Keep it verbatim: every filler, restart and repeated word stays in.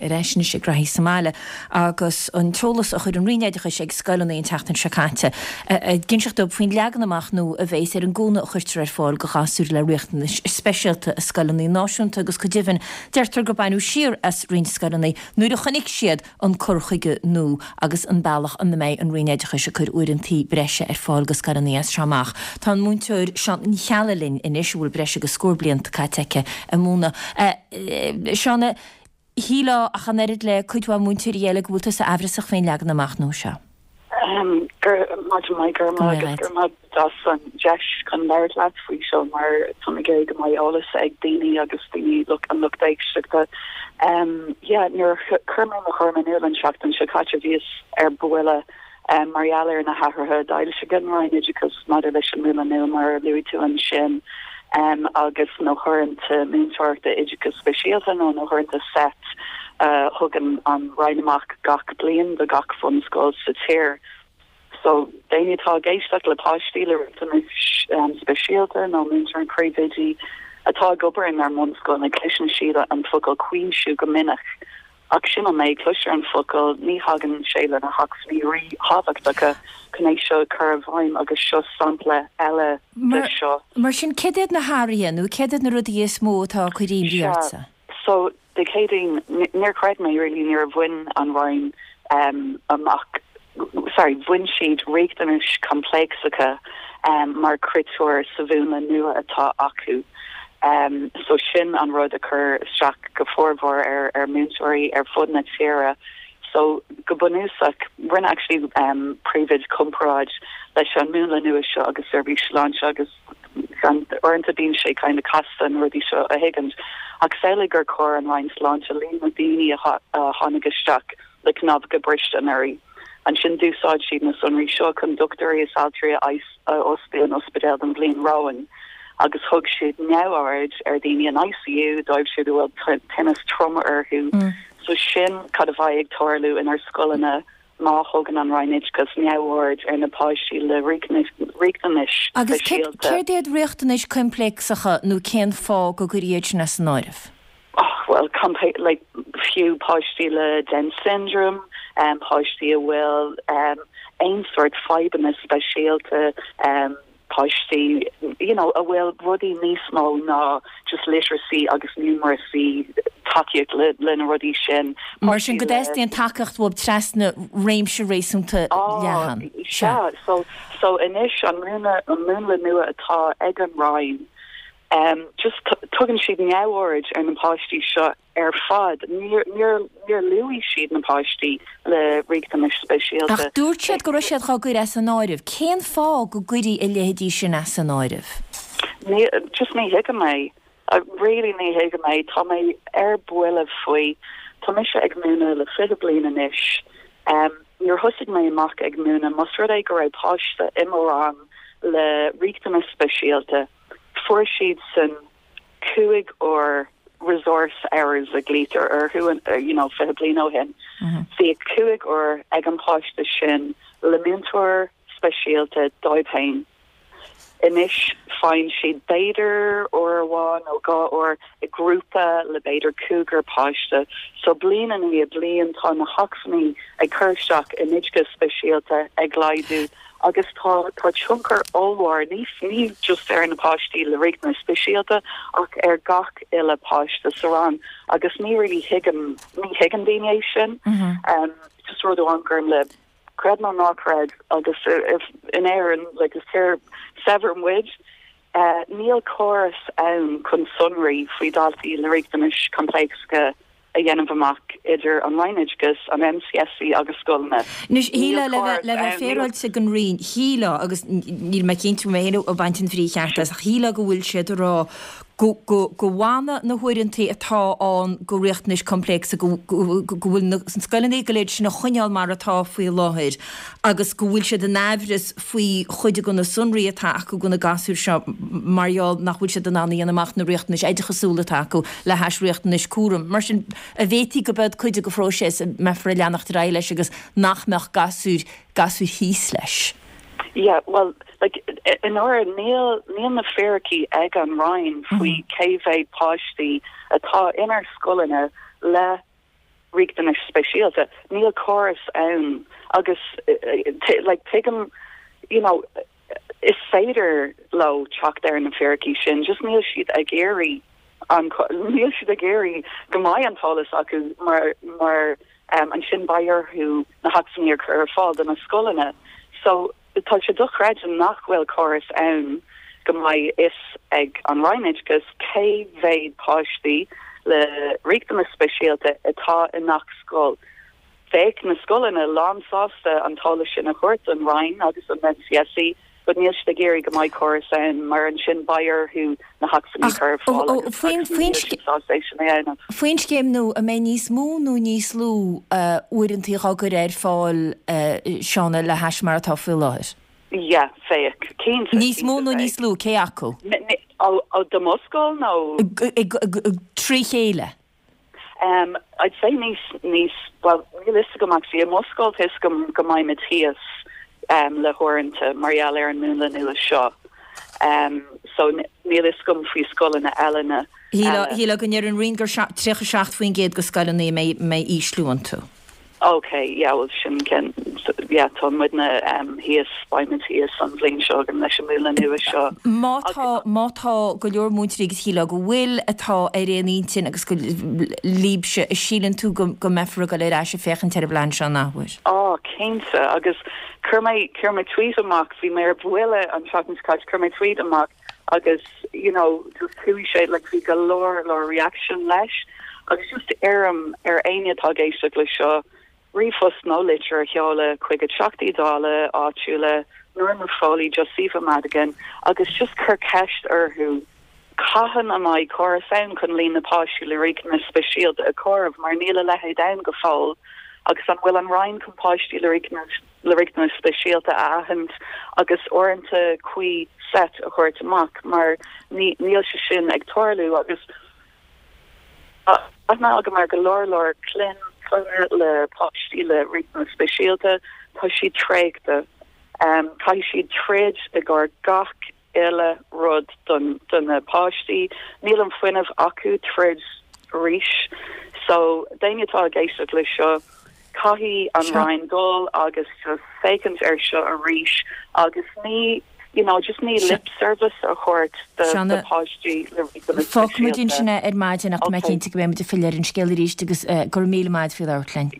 Ar ais anois ag Reithí sa mBaile agus an t-eolas a chuir an Roinn Oideachais ag scoileanna an tseachtain seo caite ag inseacht dóibh faoin leagan amach nua a bheas ar an gcúnamh a chuirtear ar fáil do ghasúir le riachtanais speisialta i scoileanna náisiúnta agus go deimhin deirtear gur baineadh siar as roinnt scoileanna nuair a chonaic siad an cur chuige nua agus an bealach ina mbeidh an Roinn Oideachais ag cur uaireanta breise ar fáil do scoileanna as seo amach. Tá an múinteoir Shauna Ní Cheallaigh linn anois a bhfuil breis agus scór blianta caite aici ag múineadh. Shauna, shílfeá ach an oiread le cuid mhaith múinteoirí eile go bhfuil tusa aimhreasach faoin leagan amach nua seo. Maidin mhaith go raibh maith go raibh as an deis chun labhairt leat faoi seo mar tá mé ag go mbeidh eolas ag daoine agus daoine an lucht éisteachta. Um, yeah, nuair chuir mé mo thuairim in iúl an seachtain seo caite bhíos ar buile um, mar gheall ar na hathruithe a d'fhoilsigh an Roinn Oideachais maidir leis an múnla nua mar a luaigh tú ansin um, agus na huaireanta múinteoireachta oideachas speisialta nó na huaireanta SET uh, thugann an Roinn amach gach bliain do gach bunscoil sa tír. So daoine atá ag éisteacht le páistí le riachtanais um, speisialta nó múinteoirí príomhoidí atá ag obair inár mbunscoil na cloiseann siad an focal cuimsiú go minic. Ach sin an méid cloistear an focal ní thagann sé lena hacmhainní ríthábhachtacha chun é seo chur i bhfeidhm agus seo sampla eile de seo. Mar sin cad iad na hathruithe nó cad iad na rudaí is mó atá ag cur imní ortsa. So Dé Céadaoin níor chreid mé really níor bhain an Roinn um, amach sorry, bhain siad riachtanais choimpléacsacha um, mar chritéar sa mhúnla nua atá acu. Um, so sin an rud a chur isteach go fórbhór ar ar múinteoirí ar fud na tíre. So go bunúsach rinne actually um, príomhoide comparáid leis an múnla nua seo agus seirbhís sláinte agus uaireanta bíonn sé kind of casta an rudaí seo a thuiscint. Ach samhlaigh gur chuir an Roinn Sláinte líon na daoine a tháinig isteach le cnámha briste anuraidh. Ansin d'úsáid siad na sonraí seo chun dochtúirí is altraí a fhostú in ospidéal don bhliain romhainn. agus thug siad neamhaird ar daoine in ICU dóibh siúd a bhfuil tinneas trom orthu. Mm. So sin cad a bheidh ag tarlú inár scoileanna má thugann an Roinn Oideachais neamhaird ar na páistí le riachtanais Agus céard iad riachtanais choimpléacsacha nó cén fáth go gcuirfí iad sin as an áireamh? Oh, well like fiú páistí le Down syndrome um, páistí a bhfuil um, aon sort fadhbanna speisialta um, páistí you know a bhfuil rudaí níos mó ná just literacy agus numeracy tacaíocht le le na rudaí sin Mar sin go dteastaíonn tacaíocht uathu trasna réimse réasúnta leathan. Sea so so anois an múnla an múnla nua atá ag an Roinn um, just tugann siad neamhaird ar na páistí seo ar fad níor níor luaigh siad na páistí le riachtanais speisialta. Ach dúirt siad go raibh siad á gcur as an áireamh, cén fáth go gcuirfí a leithéidí sin as an áireamh? Ní just ní thuigim é really ní thuigim é tá mé ar buile faoi Tá mise ag múineadh le fiche bliain anois. Um, Nuair thosaigh mé amach ag múineadh más rud é go raibh páiste i mo rang le riachtanas speisialta fuair siad san cúig uair resource hours a glaoitear orthu uh, you know fiche bliain ó shin. Bhí cúig uair ag an páiste sin le múinteoir speisialta dóibh féin. Anois faigheann siad b'fhéidir uair amháin nó dhá uair i grúpa le b'fhéidir cúigear páiste, so bliain i ndiaidh bliain tá na hacmhainní ag cur isteach in oideachas speisialta ag laghdú agus tá tá tionchar ollmhór ní ní just ar na páistí le riachtanais speisialta ach ar gach uile páiste sa rang agus ní really thuigeann ní thuigeann daoine é sin mm -hmm. um, just rud amháin gur le creid nó ná creid agus if in Éirinn like is tír saibhir muid uh, níl córas ann chun sonraí faoi daltaí le riachtanais choimpléacsacha a dhéanamh amach idir an Roinn Oideachais an MCSE agus scoileanna. Anois shílfeá le le bheith féaráilte don Roinn shílfeá agus níl mé cinnte mé féin ag baint an bhrí cheart as ach shílfeá go bhfuil siad ag rá go go go bhfanfaidh na huaireanta atá ann do riachtanais choimpléacsacha go go bhfuil na scoileanna go léir sin a choinneáil mar atá faoi láthair agus go bhfuil siad in aimhreas faoi chuid de na sonraí atá acu do na gasúir seo mar gheall nach bhfuil siad in ann a dhéanamh amach na riachtanais oideachasúla atá acu le hais riachtanais cúraim. Mar sin an bhféadfaí go mbeadh cuid den phróiseas a mbeifear ag leanacht ar aghaidh leis agus nach mbeadh gasúir gasúir thíos leis. Yeah, well like in order níl níl na fíricí ag an Roinn faoi cé mhéad páistí atá inár scoileanna le riachtanais speisialta níl córas ann agus like tuigim you know is féidir leo teacht ar na fíricí sin just níl siad ag iarraidh an níl siad ag iarraidh go mbeidh an t-eolas acu mar mar um, ansin beidh orthu na hacmhainní a chur ar fáil do na scoileanna so tá sé dochreidte nach bhfuil córas ann go mbeidh fhios ag an Roinn Oideachais cé mhéad páistí le riachtanais speisialta atá i ngach scoil. Bheadh na scoileanna lánsásta an t-eolas sin a thabhairt don Roinn agus an NCSE, but níl siad ag iarraidh go mbeidh córas ann mar ansin beidh orthu na hacmhainní a chur ar fáil Faoin scéim nua an mbeidh níos mó nó níos lú uaireanta á gcur ar fáil Shauna le hais mar atá faoi láthair. Yeah, bheadh cinnte Níos mó nó níos lú cé acu? ó do mo scoil nó trí chéile. Um, I'd say níos níos well níl fhios agam actually i mo scoil is go go mbeidh thíos um, le huaireanta mar gheall ar an múnla nua seo. Um, so níl fhios agam faoi scoileanna eile. Shíl go ndeir an Roinn gur tríocha seacht faoin gcéad de scoileanna mbeidh ísliú iontu. Okay, yeah, well sin cen yeah, tá muidne um, thíos beimid thíos an bhliain seo gan leis an múnla nua seo. Má tá má tá go leor múinteoirí agus shíl go bhfuil atá ar aon intinn agus go libse a síleann tú go go mbeifear go léir ase féachaint ar an bplean seo athuair. Á cinnte agus chuir mé chuir mé tweet amach bhí mé ar buile an seachtain caite chuir mé tweet amach agus you know just chuaigh sé like bhí go leor leor reaction leis agus just iarraim ar éinne atá ag éisteacht le seo ríomhphost nó litir a sheoladh chuig Teachtaí Dála áitiúla Norma Foley Josepha Madigan agus just cur ceist orthu cathain a mbeidh córas ann chun líon na páistí le riachtanais speisialta a chomhaireamh mar níl a leithéid ann go fóill agus an bhfuil an Roinn chun páistí le riachtanais le riachtanais speisialta a aithint agus uaireanta cuí set a thabhairt amach mar níl sé sin ag tarlú agus aithne agam ar go leor leor clann le páistí le riachtanais speisialta tá siad traochta um, caithfidh siad troid i gcomhair gach uile rud don don na páistí níl an fuinneamh acu troid arís so daoine atá ag éisteacht le seo caithfidh an Roinn dul agus just féachaint ar seo arís agus ní you know just ní lip service a thabhairt do páistí Fágfaimid ansin ar maidin ach mé cinnte go mbeimid ag filleadh ar an scéal arís agus gur míle maith faoi labhairt linn.